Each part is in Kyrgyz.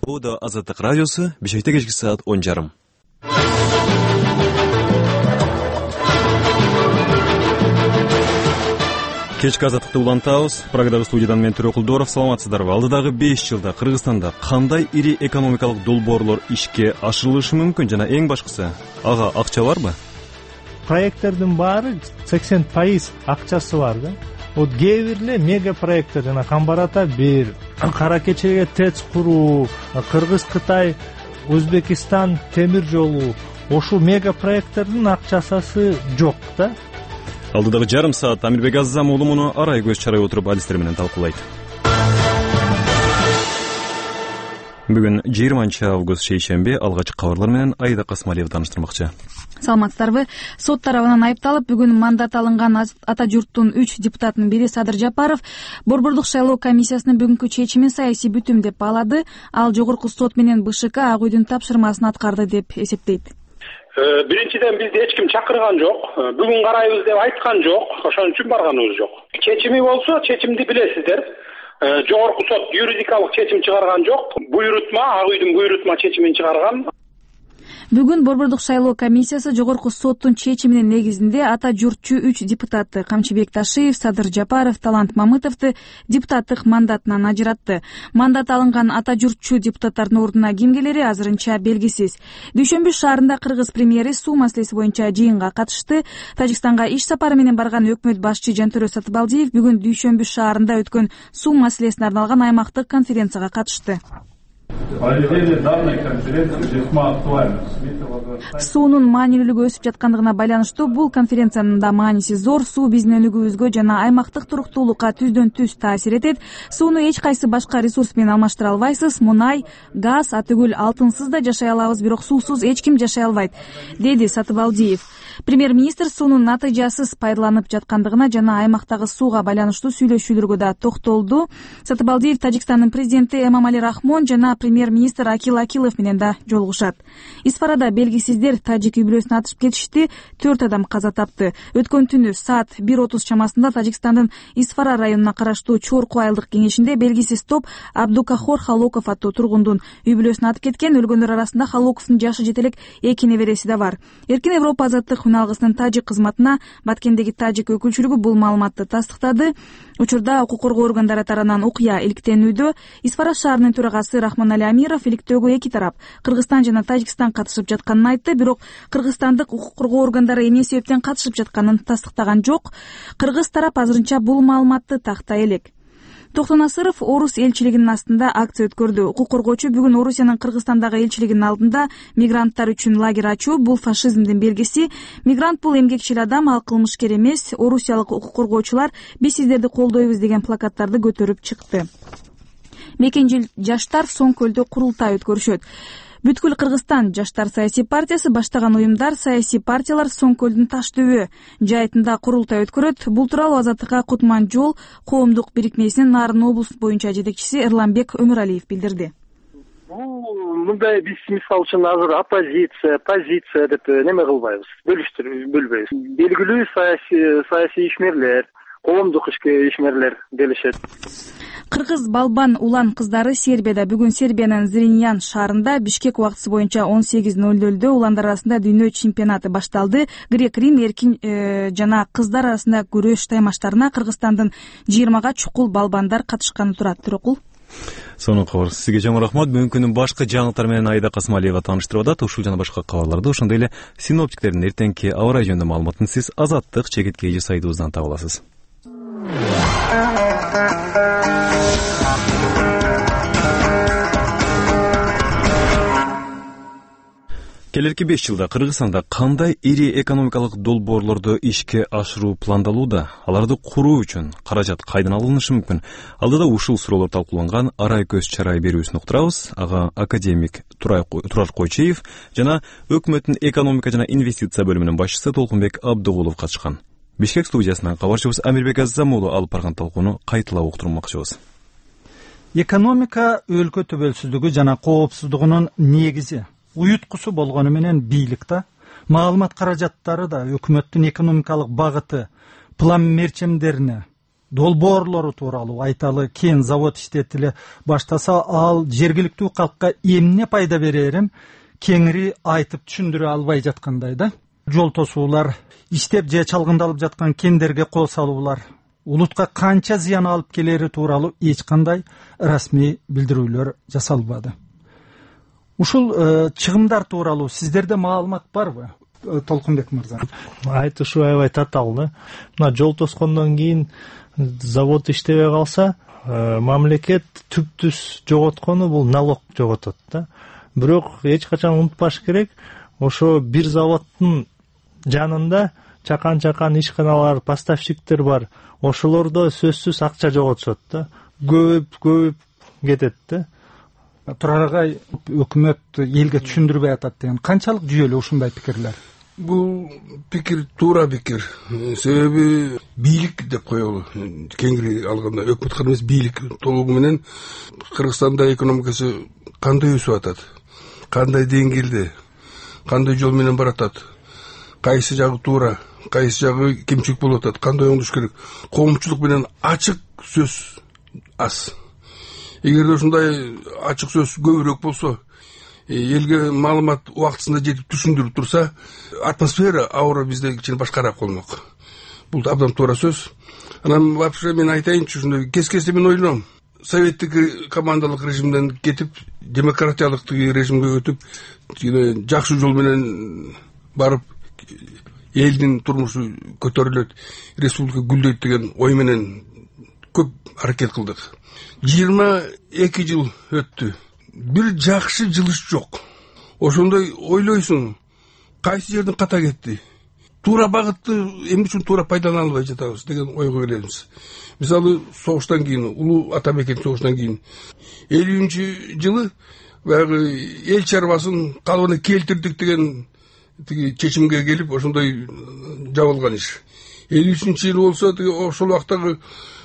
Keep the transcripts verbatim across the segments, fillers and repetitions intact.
Буда Азаттык радиосу, Бишкекте кечки саат он жарым. Кечки Азаттыкты улантабыз. Прагадагы студиядан мен Төрөкулдоров. Саламатсыздарбы? Алдыдагы беш жылда Кыргызстанда кандай ири экономикалык долбоорлор ишке ашырылышы мүмкүн жана эң башкысы ага акча барбы? Проекттердин баары сексен пайыз акчасы бар да. Вот кээ бир мега проекттер жана Камбарата бир, Кара Кечеге ТЭЦ куруу, Кыргыз-Кытай, Өзбекистан темир жолу, ошол мега проекттердин акчасы жок да. Алдыдагы жарым саат Амирбек Аззам уулу муну арай көз чарай отуруп адистер менен талкуулайт. Бүгүн жыйырманчы август шейшемби, алгачкы кабарлар менен Айда Касмалиева тааныштырмакчы. Саламатсыздарбы? Сот тарабынан айыпталып, бүгүн мандат алынган ата журттун үч депутатынын бири Садыр Жапаров Борбордук шайлоо комиссиясынын бүгүнкү чечимин саясий бүтүм деп баалады. Ал жогорку сот менен БШК Ак үйдүн тапшырмасын аткарды деп эсептейт. Биринчиден бизди эч ким чакырган жок, бүгүн карайбыз деп айткан жок, ошон үчүн барганыбыз жок. Чечими болсо, чечимди билесиздер. Жогорку сот юридикалык чечим чыгарган жок. Буйрутма, Ак үйдүн буйрутма чечимин чыгарган. Бүгүн Борбордук шайлоо комиссиясы жогорку соттун чечиминин негизинде ата журтчу үч депутатты Камчыбек Ташиев, Садыр Жапаров, Талант Мамытовду депутаттык мандатынан ажыратты. Мандат алынган ата журтчу депутаттардын ордуна ким келери азырынча белгисиз. Дүйшөмбү шаарында кыргыз премьери суу маселеси боюнча жыйынга катышты. Тажикстанга иш сапары менен барган өкмөт башчы Жантөрө Сатыбалдиев бүгүн Дүйшөмбү шаарында өткөн суу маселесине арналган аймактык конференцияга катышты. Суунун маанилүүлүгү өсүп жаткандыгына байланыштуу бул конференциянын да мааниси зор. Суу биздин өнүгүүбүзгө жана аймактык туруктуулукка түздөн түз таасир этет. Сууну эч кайсы башка ресурс менен алмаштыра албайсыз. Мунай, газ, атүгүл алтынсыз да жашай алабыз, бирок суусуз эч ким жашай албайт, деди Сатыбалдиев. Премьер-министр суунун натыйжасыз пайдаланып жаткандыгына жана аймактагы сууга байланыштуу сүйлөшүүлөргө да токтолду. Сатыбалдиев Тажикстандын президенти Эмомали Рахмон жана премьер-министр Акил Акилов менен да жолугушат. Исфарада белгисиздер тажик үй бүлөсүн атышып кетишти, төрт адам каза тапты. Өткөн түнү саат бир отуз чамасында Тажикстандын Исфара районуна караштуу Чорку айылдык кеңешинде белгисиз топ Абдукахор Халоков аттуу тургундун үй бүлөсүн атып кеткен. Өлгөндөр арасында Халоковдун жашы жете элек эки небереси да бар. Эркин Европа азаттык үналгысынын тажик кызматына Баткендеги тажик өкүлчүлүгү бул маалыматты тастыктады. Учурда укук коргоо органдары тарабынан окуя иликтенүүдө. Исфара шаарынын төрагасы Рахмонали Амиров иликтөөгө эки тарап Кыргызстан жана Тажикстан катышып жатканын айтты, бирок кыргызстандык укук коргоо органдары эмне себептен катышып жатканын тастыктаган жок. Кыргыз тарап азырынча бул маалыматты тактай элек. Токтон Асыров Орус элчилигинин астында акция өткөрдү. Укук коргоочу бүгүн Орусиянын Кыргызстандагы элчилигинин алдында мигранттар үчүн лагерь ачуу бул фашизмдин белгиси. Мигрант бул эмгекчил адам, ал кылмышкер эмес. Орусиялык укук коргоочулар биз сиздерди колдойбуз деген плакаттарды көтөрүп чыкты. Мекенжил жаштар Соң көлдө курултай өткөрүшөт. Бүткүл Кыргызстан жаштар саясий партиясы баштаган уюмдар, саясий партиялар Соң көлдүн таш дөбө жайытында курултай өткөрөт. Бул тууралуу Азаттыкка Кутман жол коомдук бирикмесинин Нарын облусу боюнча жетекчиси Эрланбек Өмүралиев билдирди. Бул мындай биз мисалы үчүн азыр оппозиция, позиция деп неме кылбайбыз, бөлүштүрүп бөлбөйбүз. Белгилүү саясий саясий ишмерлер, коомдук ишмерлер делишет. Кыргыз балбан улан кыздары Сербияда бүгүн Сербиянын Зриньян шаарында Бишкек убактысы боюнча он сегиз ноль нольдө уландар арасында дүйнө чемпионаты башталды. Грек-Рим эркин э, жана кыздар арасында күрөш таймаштарына Кыргызстандын жыйырмага чукул балбандар катышканы турат. Төрөкул. Сонун кабар. Сизге чоң рахмат. Бүгүнкүнүн башкы жаңылыктары менен Айда Касмалиева тааныштырып атат. Ушул жана башка кабарларды, ошондой эле синоптиктердин эртеңки аба ырайы жөнүндө маалыматын сиз Азаттык чекит кей сайтыбыздан таба аласыз. Келерки беш жылда Кыргызстанда кандай ири экономикалык долбоорлорду ишке ашыруу пландалууда? Аларды куруу үчүн каражат кайдан алынышы мүмкүн? Алдыда ушул суроолор талкууланган арай көз чарай берүүсүн уктурабыз. Ага академик Турар Койчеев жана өкмөттүн экономика жана инвестиция бөлүмүнүн башчысы Толкунбек Абдыгулов катышкан. Бишкек студиясынан кабарчыбыз Амирбек Аззам уулу алып барган талкууну кайталап уктурмакчыбыз. Экономика өлкө төбөлсүздүгү жана коопсуздугунун негизи. Уюткусу болгону менен бийлик да, маалымат каражаттары да өкмөттүн экономикалык багыты, план мерчемдерине долбоорлору тууралуу айталы. Кен завод иштетиле баштаса, ал жергиликтүү калкка эмне пайда берерин кеңири айтып түшүндүрө албай жаткандай да. Жол тосуулар, иштеп же чалгындалып жаткан кендерге кол салуулар улутка канча зыян алып келери тууралуу эч кандай расмий билдирүүлөр жасалбады. Ушул чыгымдар тууралуу сиздерде маалымат барбы, Толкунбек мырза? Айтышы аябай татаал да. Мына жол тоскондон кийин завод иштебей калса, мамлекет түп-түз жоготкону бул налог жоготот да. Бирок эч качан унутпаш керек, ошо бир заводдун жанында чакан-чакан ишканалар, поставщиктер бар. Ошолордо сөзсүз акча жоготушат да. Көбөйүп көбөйүп кетет да. Турар агай, өкмөт элге түшүндүрбөй атат деген канчалык жүйөлүү ушундай пикирлер? Бул пикир туура пикир. Себеби бийлик деп коелу. Кеңири алганда өкмөт эмес, бийлик толугу менен Кыргызстанда экономикасы кандай өсүп атат, кандай деңгээлде, кандай жол менен баратат, кайсы жагы туура, кайсы жагы кемчилик болуп атат, кандай оңдош керек, коомчулук менен ачык сөз аз. Эгерде ушундай ачык сөз көбүрөөк болсо, элге маалымат убактысында жетип түшүндүрүп турса, атмосфера, аура бизде кичине башкараак болмок. Бул абдан туура сөз. Анан вообще мен айтайынчы, ушундай кез-кезде мен ойлойм, советтик командалык режимден кетип, демократиялык режимге өтүп, жакшы жол менен барып, элдин турмушу көтөрүлөт, республика гүлдөйт деген ой менен көп аракет кылдык. жыйырма эки жыл өттү. Бир жакшы жылыш жок. Ошондой ойлойсуң, кайсы жерден ката кетти? Туура багытты эмне үчүн туура пайдалана албай жатабыз деген ойго келебиз. Мисалы, согуштан кийин, улуу ата мекен согуштан кийин элүүнчү жылы баягы эл чарбасын калыбына келтирдик деген тиги чечимге келип, ошондой жабылган иш. элүү үчүнчү жылы болсо, тиги ошол убактагы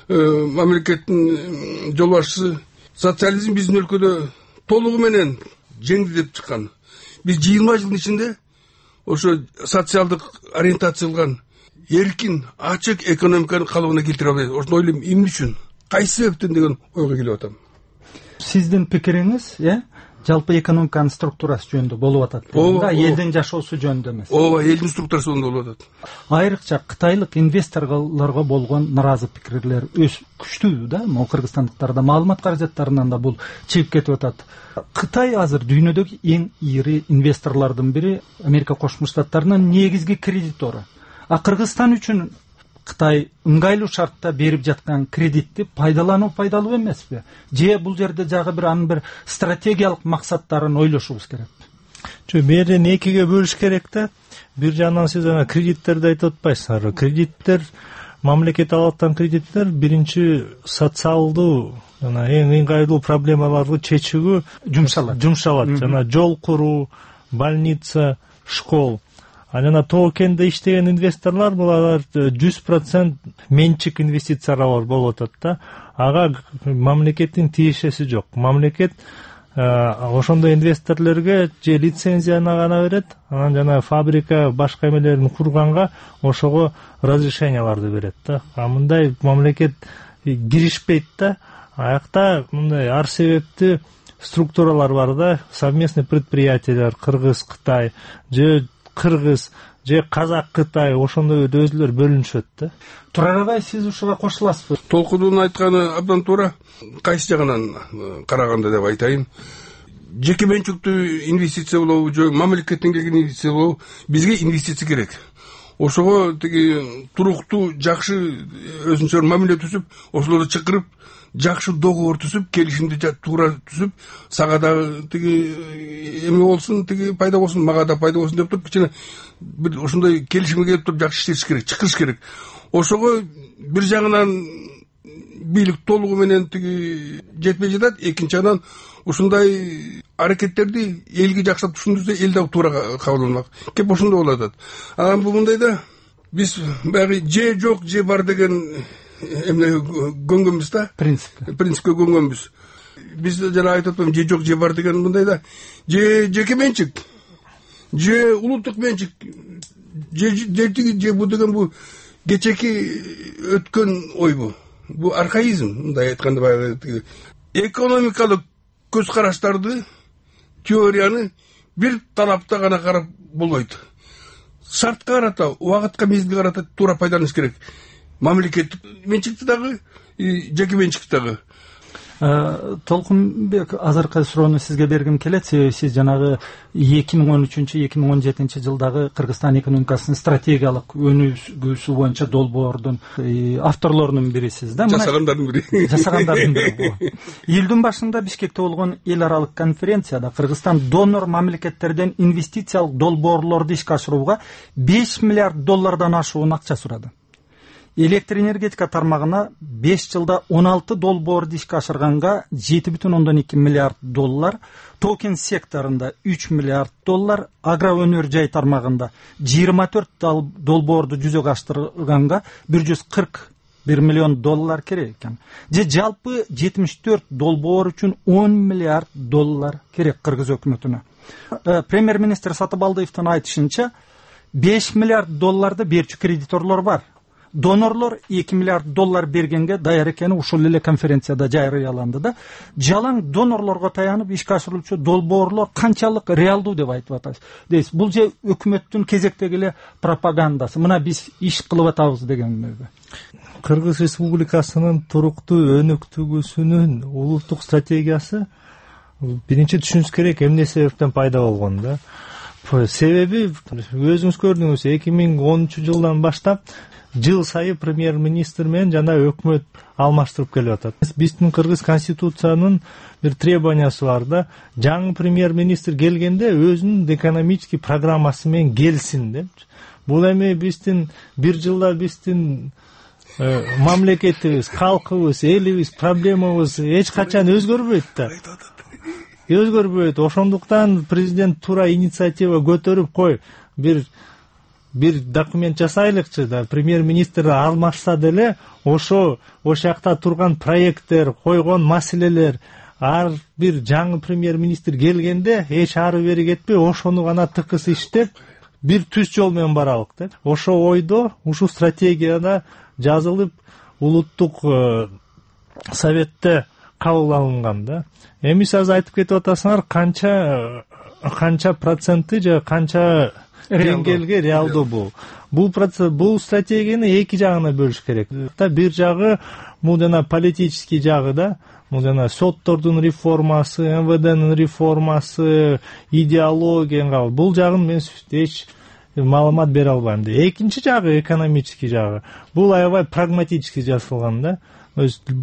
мамлекеттин жол башчысы социализм биздин өлкөдө толугу менен жеңди деп чыккан. Биз жыйырма жылдын ичинде ошо социалдык ориентацияланган эркин, ачык экономиканы калыбына келтире албайбыз. Ошону ойлойм, эмне үчүн, кайсы себептен деген ойго келип атам. Сиздин пикириңиз, э, жалпы экономиканын структурасы жөнүндө болуп атат. Да, элдин жашоосу жөнүндө эмес. Ооба, элдин структурасы жөнүндө болуп атат. Айрыкча кытайлык инвесторлорго болгон наразы пикирлер өс күчтүү да. Могу кыргызстандыктарда маалымат каражаттарынан да бул чыгып кетип атат. Кытай азыр дүйнөдөгү эң ири инвесторлордун бири, Америка Кошмо Штаттарынын негизги кредитору. А Кыргызстан үчүн Кытай ыңгайлуу шартта берип жаткан кредитти пайдалануу пайдалуу эмеспи? Же бул жерде жагы бир анын бир стратегиялык максаттарын ойлошубуз керек? Жок, берден экиге бөлүш керек да. Бир жагынан сиз ана кредиттерди айтып атпайсыздар. Кредиттер, мамлекет алып аткан кредиттер биринчи социалдуу жана эң ыңгайлуу проблемаларды чечүүгө жумшалат. Жумшалат. Жана жол куруу, больница, школ. А жана тоо кенде иштеген инвесторлор булар жүз процент менчик инвестициялар болуп атат да. Ага мамлекеттин тиешеси жок. Мамлекет ошондой инвесторлорго же лицензияны гана берет, анан жана фабрика башка эмелерин курганга ошого разрешенияларды берет да. А мындай мамлекет киришпейт да. Аякта мындай ар себептүү структуралар бар да, совместный предприятиялар, Кыргыз, Кытай, же Кыргыз, же Казак, Кытай, ошондой өзүлөр бөлүнүшөт да. Турар агай, сиз ушуга кошуласызбы? Толкудун айтканы абдан туура. Кайсы жагынан караганда деп айтайын. Жеке менчиктүү инвестиция болобу, же мамлекеттен келген инвестиция болобу, бизге инвестиция керек. Ошого тиги туруктуу, жакшы өзүнчө мамиле түзүп, ошолорду чакырып, жакшы договор түзүп, келишимди туура түзүп, сага да тиги эме болсун, тиги пайда болсун, мага да пайда болсун деп туруп, кичине бир ошондой келишимге келип туруп жакшы иштеш керек, чакырыш керек. Ошого бир жагынан бийлик толугу менен тиги жетпей жатат, экинчи жагынан ушундай аракеттерди элге жакшылап түшүндүрсө, эл да туура кабыл кеп ошондой болуп атат. Анан бул мындайда биз баягы же жок, же бар деген эмне көнгөнбүз да. Принцип. Принципке көнгөнбүз. Биз жана айтып атпаймынбы, же жок, же бар деген мындайда же жеке менчик, же улуттук менчик, же же тиги же бу деген бу кечеки өткөн ойбу. бул архаизм. Мындай айтканда баягы экономикалык көз караштарды, теорияны бир талапта гана карап болбойт. Шартка карата, убакытка, мезгилге карата туура пайдаланыш керек. Мамлекеттик менчикти дагы, жеке менчикти дагы. Толкунбек, азыркы суроону сизге бергим келет, себеби сиз жанагы эки миң он үчүнчү эки миң он жетинчи жылдагы Кыргызстан экономикасынын стратегиялык өнүгүүсү боюнча долбоордун авторлорунун бирисиз да. Жасагандардын бири. Жасагандардын бири. Июлдун башында Бишкекте болгон эл аралык конференцияда Кыргызстан донор мамлекеттерден инвестициялык долбоорлорду ишке ашырууга беш миллиард доллардан ашуун акча сурады. Электр энергетика тармагына беш жылда он алты долбоорду ишке ашырганга жети бүтүн ондон эки миллиард доллар, токен секторунда үч миллиард доллар, агроөнөр жай тармагында жыйырма төрт долбоорду жүзөгө аштырганга бир жүз кырк бир миллион доллар керек экен. Же жалпы жетимиш төрт долбоор үчүн он миллиард доллар керек Кыргыз өкмөтүнө. Премьер-министр Сатыбалдыевдин айтышынча беш миллиард долларды берчү кредиторлор бар. Донорлор эки миллиард доллар бергенге даяр экени ушул эле конференцияда жарыяланды да. Жалаң донорлорго таянып ишке ашырылчу долбоорлор канчалык реалдуу деп айтып атасыз. Бул же өкмөттүн кезектеги эле пропагандасы. Мына биз иш кылып атабыз дегенбиби? Кыргыз Республикасынын туруктуу өнүктүгүсүнүн улуттук стратегиясы биринчи түшүнүш керек эмне себептен пайда болгон да. Себеби өзүңүз көрдүңүз, эки миң онунчу жылдан баштап жыл сайы премьер-министр менен жана өкмөт алмаштырып келип атат. Биздин Кыргыз конституциянын бир требованиясы бар да, жаңы премьер-министр келгенде өзүнүн экономический программасы менен келсин деп. Бул эми биздин бир жылда биздин мамлекетибиз, калкыбыз, элибиз, проблемабыз эч качан өзгөрбөйт да. Өзгөрбөйт. Ошондуктан президент туура инициатива көтөрүп, кой, бир бир документ жасайлыкчы да, премьер-министр алмашса деле ошо ошол жакта турган проекттер, койгон маселелер, ар бир жаңы премьер-министр келгенде эч ары бери кетпей ошону гана тыкыс иштеп бир түз жол менен баралык деп. Ошо ойдо ушул стратегияда жазылып улуттук советте кабыл алынган да. Эми сиз айтып кетип атасыңар, канча канча проценти же канча деңгээлге реалдуу бул. Бул процесс, бул стратегияны эки жагына бөлүш керек. Бир жагы бул жана политический жагы да, бул жана соттордун реформасы, эм вэ дэнин реформасы, идеология, бул жагын мен эч маалымат бере албайм да. Экинчи жагы экономический жагы. Бул аябай прагматический жасалган да.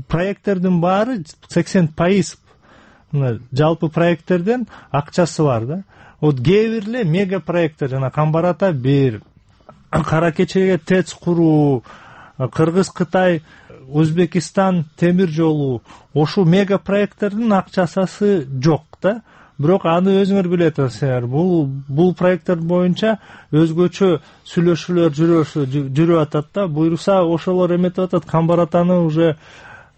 Проекттердин баары сексен пайыз жалпы проекттерден акчасы бар да. Вот кээ бир эле мега проекттер, жана Камбар-Ата бир, Кара Кечеге ТЭЦ куруу, Кыргыз-Кытай, Өзбекистан темир жолу, ошол мега проекттердин акчасы жок да. Бирок аны өзүңөр билет атасыздар. Бул бул проекттер боюнча өзгөчө сүйлөшүүлөр жүрүп атат да. Буйруса ошолор эметип атат, Камбар-Атаны уже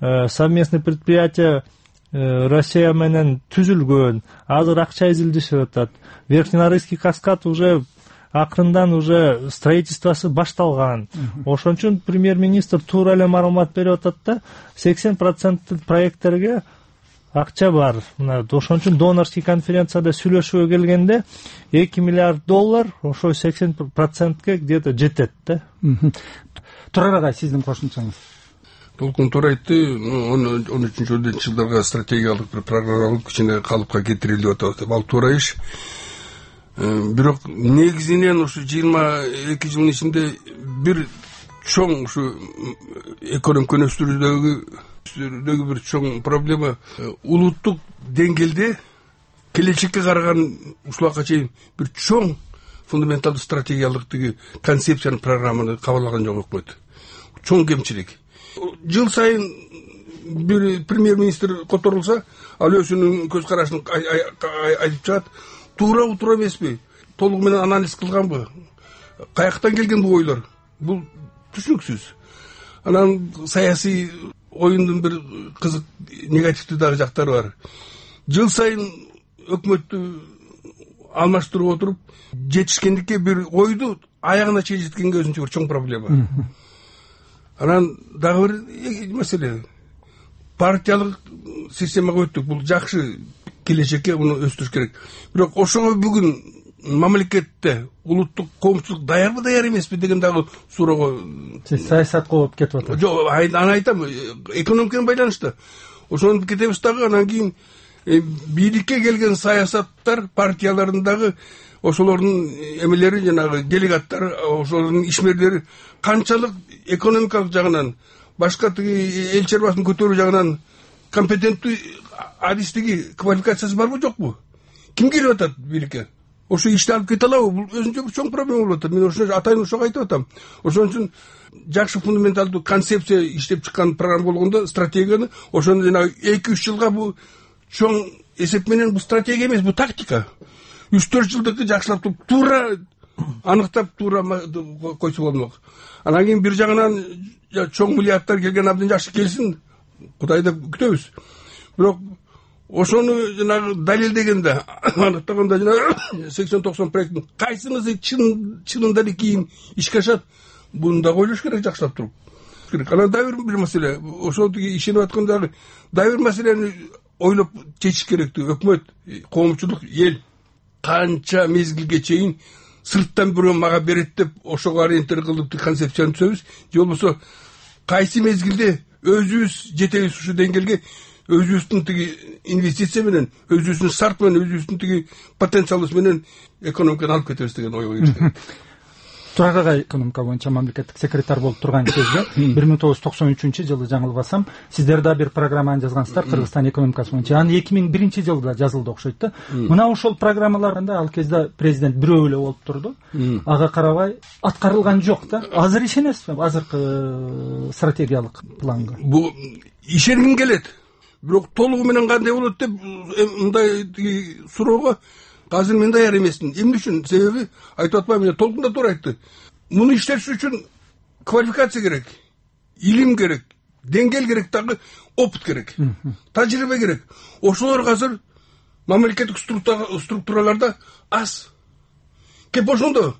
совместный предприятие Россия менен түзүлгөн, азыр акча изилдешип атат. Верхненарыйский каскад уже акырындан уже строительствосы башталган. Ошон үчүн премьер-министр туура эле маалымат берип атат да, сексен процент проекттерге акча бар. Мына ошон үчүн донорский конференцияда сүйлөшүүгө келгенде эки миллиард доллар ошо сексен процентке где-то жетет да. Турар агай, сиздин кошумчаңыз. Толкун туура айтты. он үчүнчү жылдарга стратегиялык бир программалык кичине калыпка кетирилип атат. Ал туура иш. Бирок негизинен ушу жыйырма эки жылдын ичинде бир чоң ушу экономика өстүрүүдөгү бир чоң проблема улуттук деңгээлде келечекке караган ушулга чейин бир чоң фундаменталдуу стратегиялык тиги концепцияны, программаны кабыл алган жок өкмөт. Чоң кемчилик. Жыл сайын бир премьер-министр которулса, ал өзүнүн көз карашын айтып чыгат. Туура туура эмеспи? Толугу менен анализ кылганбы? Каяктан келген бул ойлор? Бул түшүнүксүз. Анан саясий оюндун бир кызык негативдүү дагы жактары бар. Жыл сайын өкмөттү алмаштырып отуруп, жетишкендикке бир ойду аягына чейин жеткенге өзүнчө бир чоң проблема. Анан дагы бир маселе, партиялык системага өттүк. Бул жакшы, келечекке муну өстүрүш керек. Бирок ошого бүгүн мамлекетте улуттук коомчулук даярбы, даяр эмеспи деген дагы суроого саясатка болуп кетип атат. Жок, аны айтам, экономика менен байланыштуу. Ошону кетебиз дагы. Анан кийин бийликке келген саясаттар партияларындагы ошолордун эмелери, жанагы делегаттар, ошолордун ишмерлери канчалык экономикалык жагынан, башка тиги эл чарбасын көтөрүү жагынан компетенттүү, адистиги, квалификациясы барбы, жокпу? Ким келип атат бийликке? Ошо ишти алып кете алабы? Бул өзүнчө бир чоң проблема болуп атат. Мен ошо атайын ошого айтып атам. Ошон үчүн жакшы фундаменталдуу концепция иштеп чыккан программа болгондо, стратегияны, ошону жана эки үч жылга бу чоң эсеп менен бу стратегия эмес, бу тактика. үч төрт жылдыкты жакшылап туруп, туура аныктап, туура койсо болмок. Анан кийин бир жагынан чоң миллиардтар келген абдан жакшы келсин, Кудайды күтөбүз. Бирок ошону жанагы далилдегенде, аныктаганда жанагы сексен токсон проекттин кайсынысы чын чынында эле кийин ишке ашат, буну да ойлош керек, жакшылап туруп. Анан дагы бир маселе, ошол тиги ишенип аткандагы дагы бир маселени ойлоп чечиш керектүү. Өкмөт, коомчулук, эл канча мезгилге чейин сырттан бирөө мага берет деп ошого ориентир кылып концепцияны түзөбүз, же болбосо кайсы мезгилде өзүбүз жетебиз ушу деңгээлге, өзүбүздүн тиги инвестиция менен, өзүбүздүн старт менен, өзүбүздүн тиги потенциалыбыз менен экономиканы алып кетебиз деген ойго келишти. Турак агай экономика боюнча мамлекеттик секретарь болуп турган кезде бир миң тогуз жүз токсон үчүнчү жылы, жаңылбасам, сиздер да бир программаны жазгансыздар Кыргызстан экономикасы боюнча. Аны эки миң биринчи жылда жазылды окшойт да. Мына ошол программаларында ал кезде президент бирөө эле болуп турду. Ага карабай аткарылган жок да. Азыр ишенесизби азыркы стратегиялык планга? Бу ишенгим келет. Бирок толугу менен кандай болот деп мындай суроого азыр мен даяр эмесмин. Эмне үчүн? Себеби айтып атпайбы, мен толкунда туура айтты. Муну иштеш үчүн квалификация керек, илим керек, деңгээл керек, дагы опыт керек, тажрыйба керек. Ошолор азыр мамлекеттик структураларда аз. Кеп ошондо.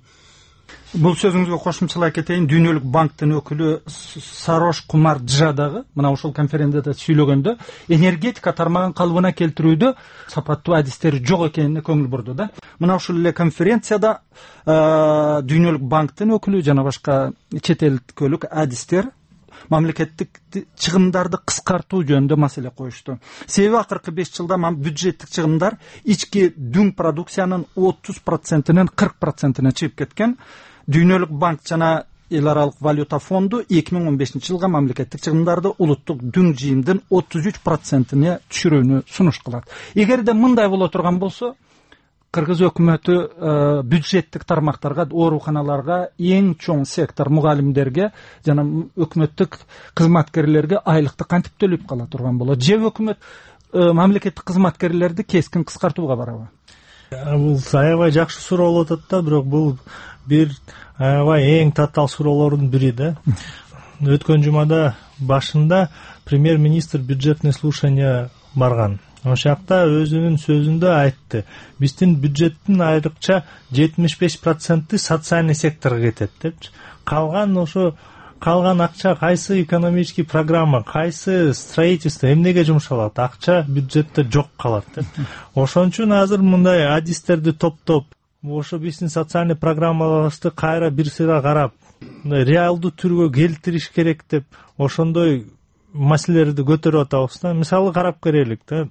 Бул сөзүңүзгө кошумчалай кетейин. Дүйнөлүк банктын өкүлү Сарош Кумар Джа дагы мына ошол конференцияда сүйлөгөндө энергетика тармагын калыбына келтирүүдө сапаттуу адистер жок экенине көңүл бурду да. Мына ушул эле конференцияда Дүйнөлүк банктын өкүлү жана башка чет элдик адистер мамлекеттик чыгымдарды кыскартуу жөнүндө маселе коюшту. Себеби акыркы беш жылда бюджеттик чыгымдар ички дүң продукциянын отуз процентинен кырк процентине чыгып кеткен. Дүйнөлүк банк жана Эл аралык валюта фонду эки миң он бешинчи жылга мамлекеттик чыгымдарды улуттук дүң жыйымдын отуз үч процентине түшүрүүнү сунуш кылат. Эгерде мындай боло турган болсо, Кыргыз өкмөтү бюджеттик тармактарга, ооруканаларга, эң чоң сектор мугалимдерге жана өкмөттүк кызматкерлерге айлыкты кантип төлөп кала турган болот? Же өкмөт мамлекеттик кызматкерлерди кескин кыскартууга барабы? Бул аябай жакшы суроо болуп атат да, бирок бул бир аябай эң татаал суроолордун бири да. Өткөн жумада башында премьер-министр бюджетный слушание барган. Ошол жакта өзүнүн сөзүндө айтты. Биздин бюджеттин айрыкча жетимиш беш проценти социальный секторго кетет депчи. Калган ошо калган акча кайсы экономический программа, кайсы строительство, эмнеге жумшалат? Акча бюджетте жок калат деп. Ошон үчүн азыр мындай адистерди топтоп, ошо биздин социальный программаларыбызды кайра бир сыйра карап, реалдуу түргө келтириш керек деп ошондой маселелерди көтөрүп атабыз да. Мисалы карап көрөлүк да.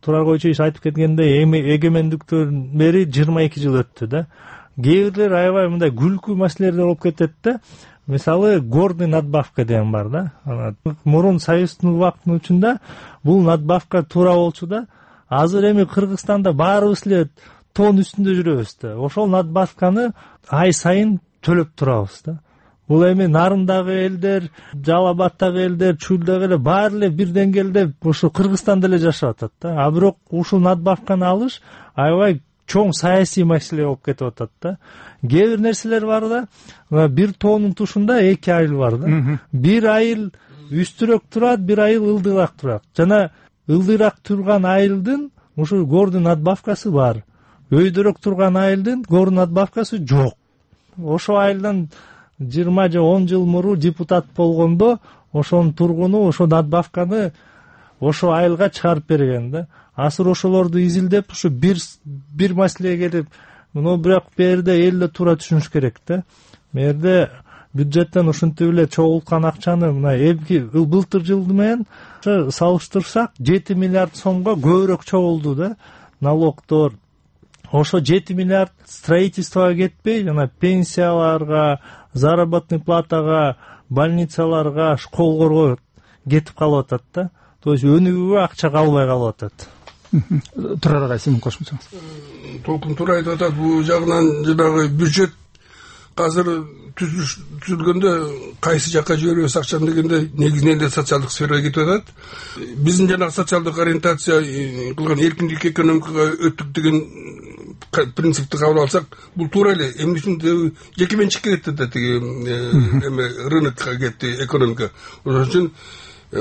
Турар Койчуевич айтып кеткендей, эгемендиктен бери жыйырма эки жыл өттү да. Кээ бирлер аябай мындай күлкү маселелер болуп кетет да. Мисалы гордый надбавка деген бар да. Мурун союздун убактын учунда бул надбавка туура болчу да. Азыр эми Кыргызстанда баарыбыз эле тон үстүндө жүрөбүз да. Ошол надбавканы ай сайын төлөп турабыз да. Бул эми нарындагы элдер, Жалал Абаддагы элдер, Чүлдөгө эле баары эле бир деңгээлде ошо Кыргызстанда эле жашап атат да. А бирок ушул надбавканы алыш аябай чоң саясий маселе болуп кетип атат да. Кээ бир нерселер бар да, бир тоонун тушунда эки айыл бар да. Бир айыл үстүрөөк турат, бир айыл ылдыйраак турат. Жана ылдыйраак турган айылдын ушул гордый надбавкасы бар. Өйдөрөөк турган айылдын гордый надбавкасы жок. Ошол айылдан жыйырма же он жыл мурун депутат болгондо ошонун тургуну ошо надбавканы ошо айылга чыгарып берген да. Азыр ошолорду изилдеп ушу бир бир маселеге келип, но бирок бу жерде эл да туура түшүнүш керек да. Бу жерде бюджеттен ушинтип эле чогулткан акчаны мына эмки былтыр жылы менен салыштырсак жети миллиард сомго көбүрөөк чогулду да налогдор. Ошо жети миллиард строительствого кетпей, жана пенсияларга, заработный платага, больницаларга, школго кетип калып атат да. То есть өнүгүүгө акча калбай калып атат. Турар агай, сиздин кошумчаңыз. Толкун туура айтып атат. Бул жагынан жанагы бюджет азыр түзүлгөндө кайсы жакка жиберебиз акчаны дегенде негизинен эле социалдык сферага кетип атат. Биздин жанагы социалдык ориентация кылган эркиндик экономикага өттүк деген принципти кабыл алсак, бул туура эле. Эмне үчүн жеке менчикке кетти да тиги эме рынокко кетти экономика. Ошон үчүн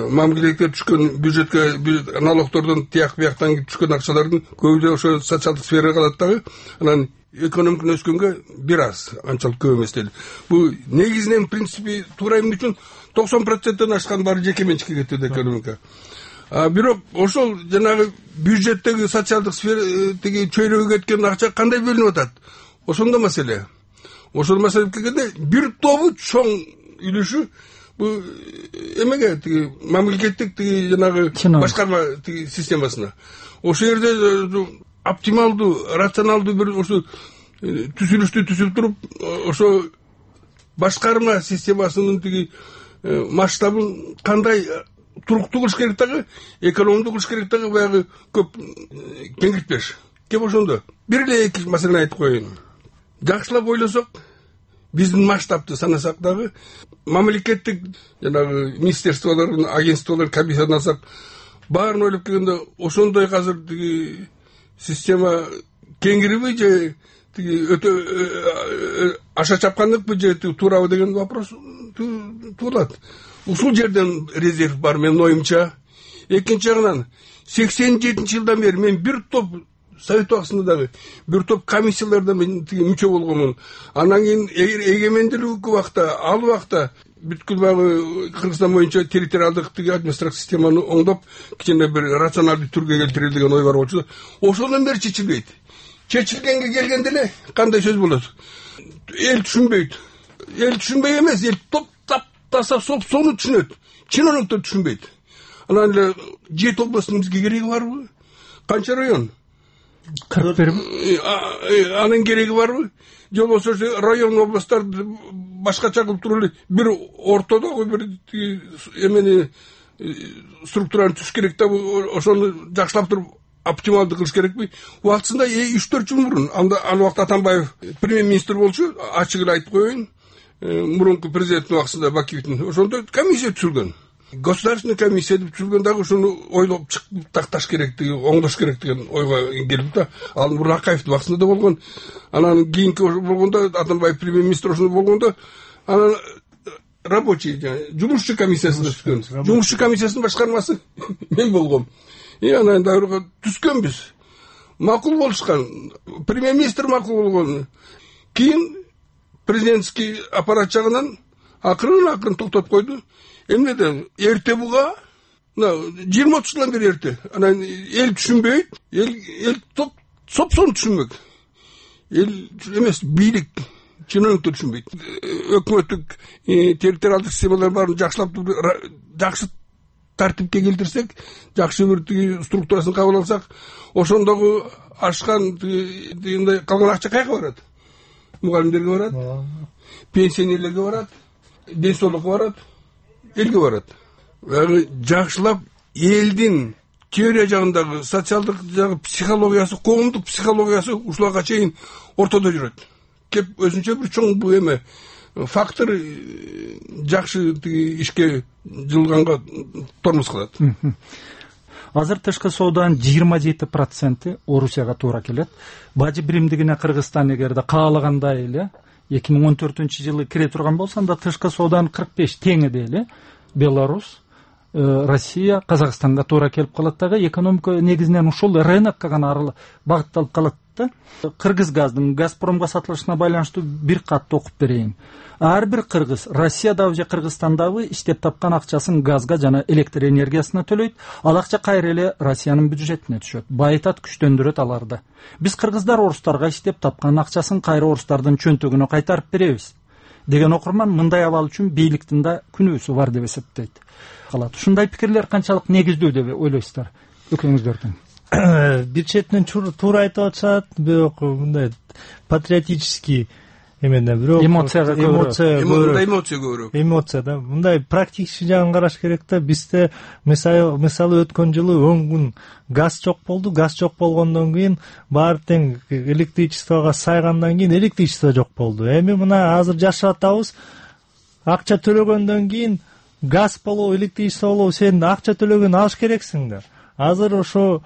мамлекетке түшкөн бюджетке налогдордон тияк бияктан түшкөн акчалардын көбү ошо социалдык сферага калат дагы. Анан экономика өскөнгө бир аз, анчалык көп эмес деле. Бул негизинен принципи туура. Эмне үчүн токсон проценттен ашкан баары жеке менчикке кетти экономика. А бирок ошол жанагы бюджеттеги социалдык сфера тиги чөйрөгө кеткен акча кандай бөлүнүп атат? Ошондо маселе. Ошол маселеге келгенде бир тобу чоң үлүшү бул эмеге тиги мамлекеттик тиги жанагы башкарма тиги системасына. Ошол жерде оптималдуу, рационалдуу бир ошо түзүлүштү түзүп туруп, ошо башкарма системасынын тиги масштабын кандай туруктуу кылыш керек дагы, экономдуу кылыш керек дагы, баягы көп кеңиртпеш. Кеп ошондо бир эле эки маселени айтып коеюн. Жакшылап ойлосок, биздин масштабты санасак дагы, мамлекеттик жанагы министерстволордун, агентстволор, комиссияны алсак, баарын ойлоп келгенде ошондой азыр тиги система кеңириби же тиги өтө аша чапкандыкпы же туурабы деген вопрос туулат. Ушул жерден резерв бар менин оюмча. Экинчи жагынан сексен жетинчи жылдан бери мен бир топ совет убактысында дагы бир топ комиссияларда мен тиги мүчө болгонмун. Анан кийин эгемендүүлүк убакта, ал убакта бүткүл баягы Кыргызстан боюнча территориалдык тиги административдик системаны оңдоп, кичине бир рационалдуу түргө келтирели деген ой бар болчу. Ошондон бери чечилбейт. Чечилгенге келгенде эле кандай сөз болот? Эл түшүнбөйт. Эл түшүнбөй эмес, эл топ таса соп сону түшүнөт. Чиновниктер түшүнбөйт. Анан эле жети областтын бизге кереги барбы? Канча район? кырк бирби? Анын кереги барбы? Же болбосо район, областтар башкача кылып туруп эле бир ортодогу бир эмени структураны түзүш керек да, ошону жакшылап туруп оптималдуу кылыш керекпи? Убактысында үч төрт жыл мурун анда ал убакта Атамбаев премьер-министр болчу, ачык эле айтып коеюн. Мурунку президенттин убактысында Бакиевдин ошондо комиссия түзүлгөн. Государственный комиссия деп түзүлгөн дагы ошону ойлоп чыгып такташ керек деген, оңдош керек деген ойго келип да. Ал мурун Акаевдин убактысында да болгон. Анан кийинки болгондо Атамбаев премьер-министр ошондо болгондо анан рабочий, жумушчу комиссиясына түзгөн. Жумушчу комиссиясынын башкармасы мен болгом. И анан дагы түзгөнбүз. Макул болушкан. Премьер-министр макул болгон. Кийин президентский аппарат жагынан акырын акырын токтоп койду. Эмнеден эрте буга, жыйырма отуз жылдан бери эрте. Анан эл түшүнбөйт, эл эл топ сопсон түшүнбөк. Эл эмес, бийлик, чиновниктер түшүнбөйт. Өкмөттүк территориалдык системалар баарын жакшылап жакшы тартипке келтирсек, жакшы бир структурасын кабыл алсак, ошондогу ашкан дегенде калган акча кайга барат? Мугалимдерге барат, пенсионерлерге барат, ден соолукка барат, элге барат. Жакшылап элдин теория жагындагы, социалдык жагы психологиясы, коомдук психологиясы ушуларга чейин ортодо жүрөт. Кеп өзүнчө бир чоң бу эме фактор жакшы ишке жылганга тормоз кылат. Азыр тышкы сооданын жыйырма жети проценти Орусияга туура келет. Бажы биримдигине Кыргызстан эгерде каалагандай эле эки миң он төртүнчү жылы кире турган болсо, анда тышкы сооданын кырк беш теңи эле Беларусь, Россия, Казакстанга туура келип калат дагы. Экономика негизинен ушул рынокко гана багытталып калат да. Кыргыз газдын Газпромго сатылышына байланыштуу бир катты окуп берейин. Ар бир кыргыз Россиядагы же Кыргызстандагы иштеп тапкан акчасын газга жана электр энергиясына төлөйт. Ал акча кайра эле Россиянын бюджетине түшөт. Байытат, күчтөндүрөт аларды. Биз кыргыздар орустарга иштеп тапкан акчасын кайра орустардын чөнтөгүнө кайтарып беребиз деген окурман мындай абал үчүн бийликтин да күнөөсү бар деп эсептейт. Калат. Ушундай пикирлер канчалык негиздүү деп ойлойсуздар экөөңүздөрдүн? Бир четинен туура айтып атышат, бирок мындай патриотический эмеден бирок эмоцияга эмоция мындай эмоция көбүрөөк. Эмоция да. Мындай практический жагын караш керек да. Бизде мисалы мисалы өткөн жылы он күн газ жок болду. Газ жок болгондон кийин баары тең электричествого сайгандан кийин электричество жок болду. Эми мына азыр жашап атабыз. Акча төлөгөндөн кийин газ болобу, электричество болобу, сен акча төлөгөн алыш керексиң да. Азыр ошо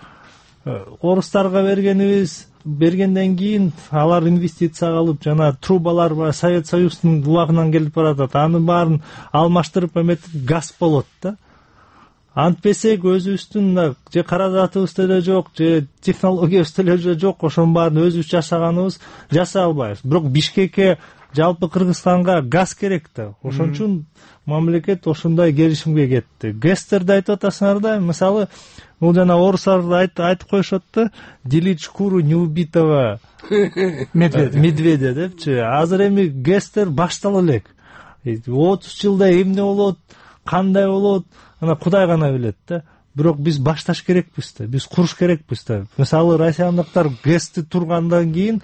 орустарга бергенибиз бергенден кийин алар инвестиция кылып жана трубалар бар, Совет Союзунун булагынан келип баратат. Аны баарын алмаштырып эметип газ болот да. Антпесек өзүбүздүн же каражатыбыз деле жок, же технологиябыз деле жок, ошонун баарын өзүбүз жашаганыбыз жасай албайбыз. Бирок Бишкекке жалпы Кыргызстанга газ керек да. Ошон үчүн мамлекет ошондой келишимге кетти. Гэстерди айтып атасыңар да, мисалы бул жана орустар айтып коюшат да, делить шкуру неубитого медведя депчи. Азыр эми Гэстер баштала элек. отуз жылда эмне болот, кандай болот, ана Кудай гана билет да. Бирок биз башташ керекпиз да, биз куруш керекпиз да. Мисалы россиялыктар гэсти тургандан кийин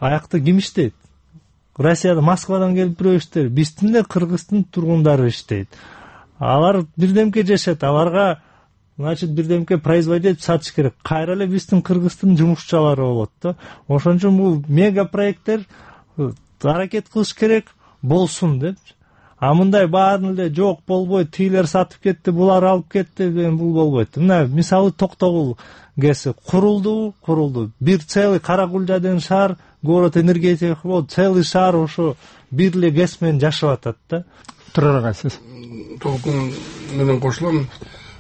аякта ким иштейт? Россияда Москвадан келип бирөө иштейт, биздин эле Кыргыздын тургундары иштейт. Алар бирдемке жашайт, аларга значит бирдемке производить сатыш керек. Кайра эле биздин Кыргыздын жумушчулары болот да. Ошон үчүн бул мега проекттер аракет кылыш керек болсун деп. А мындай баарын эле жок болбойт, тийлер сатып кетти, булар алып кетти деген бул болбойт. Мына мисалы Токтогул гэси курулду, курулду. Бир целый Каракулжа деген шаар, город энергетика болуп, целый шаар ошо бир эле гэс менен жашап атат да. Турар ага сиз толкун менен кошулам.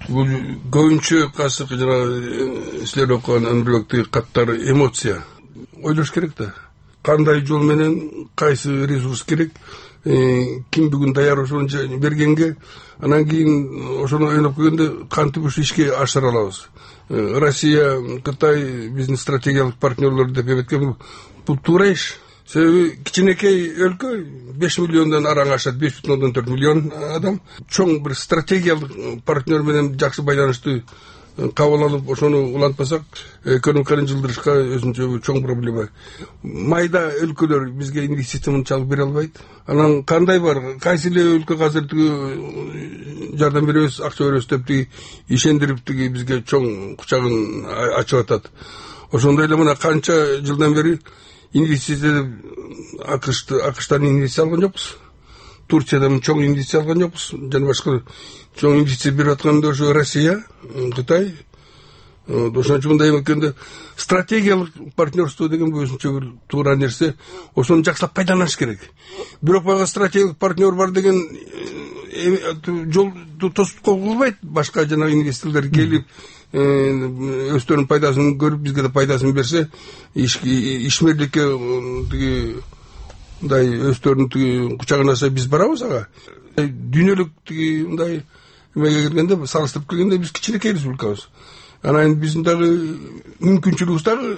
Бул көбүнчө касык жана силер окуган Анбербектеги каттар эмоция. Ойлош керек да. Кандай жол менен кайсы ресурс керек, ким бүгүн даяр ошону бергенге, анан кийин ошону ойлоп көргөндө кантип ушу ишке ашыра алабыз. Россия, Кытай биздин стратегиялык партнерлор деп эметкен, бул туура иш. Себеби кичинекей өлкө беш миллиондон араң ашат, беш бүтүн ондон төрт миллион адам. Чоң бир стратегиялык партнер менен жакшы байланыштуу кабыл алып, ошону улантпасак, экономиканы жылдырышка өзүнчө чоң проблема. Майда өлкөлөр бизге инвестицияны чалып бере албайт. Анан кандай бар, кайсы эле өлкө азыр тиги жардам беребиз, акча беребиз деп тиги ишендирип тиги бизге чоң кучагын ачып атат. Ошондой эле мына канча жылдан бери инвестиция акышты акыштан инвестиция алган жокпуз. Турциядан чоң инвестиция алган жокпуз. Жана башка чоң инвестиция берип атканда ошо Россия, Кытай. Ошон үчүн мындай эметкенде стратегиялык партнерство деген өзүнчө бир туура нерсе. Ошону жакшылап пайдаланыш керек. Бирок бага стратегиялык партнер бар деген жол тосуп койгулбайт. Башка жана инвесторлор келип өздөрүнүн пайдасын көрүп бизге да пайдасын берсе, ишмерликке тиги мындай өздөрүнүн тиги кучагына аса биз барабыз ага. Дүйнөлүк тиги мындай эмеге келгенде, салыштырып келгенде биз кичинекей республикабыз. Анан биздин дагы мүмкүнчүлүгүбүз дагы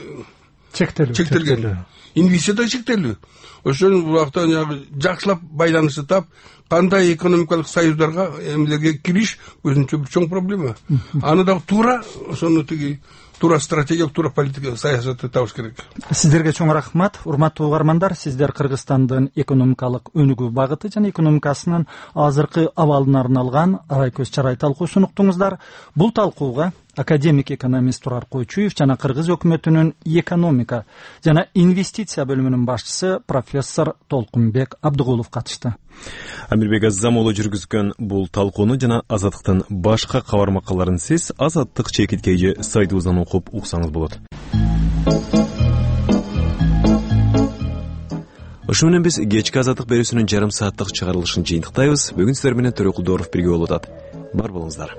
чектелген. Инвестиция да чектелүү. Ошон убакта жакшылап байланышты тап, кандай экономикалык союздарга эмелерге кириш өзүнчө бир чоң проблема. Аны дагы туура ошону тиги туура стратегиялык, туура политика саясатты табыш керек. Сиздерге чоң рахмат, урматтуу угармандар. Сиздер Кыргызстандын экономикалык өнүгүү багыты жана экономикасынын азыркы абалына арналган арай көз чарай талкуусун уктуңуздар. Бул талкууга академик экономист Турар Койчуев жана Кыргыз өкмөтүнүн экономика жана инвестиция бөлүмүнүн башчысы профессор Толкунбек Абдыгулов катышты. Амирбек Азамолу жүргүзгөн бул талкууну жана Азаттыктын башка кабар макалаларын сиз Азаттык чекиткейи сайтыбыздан окуп уксаңыз болот. Ошо менен биз кечки Азаттык берүүсүнүн жарым сааттык чыгарылышын жыйынтыктайбыз. Бүгүн сиздер менен Төрөкулдоров бирге болуп атат. Бар болуңуздар.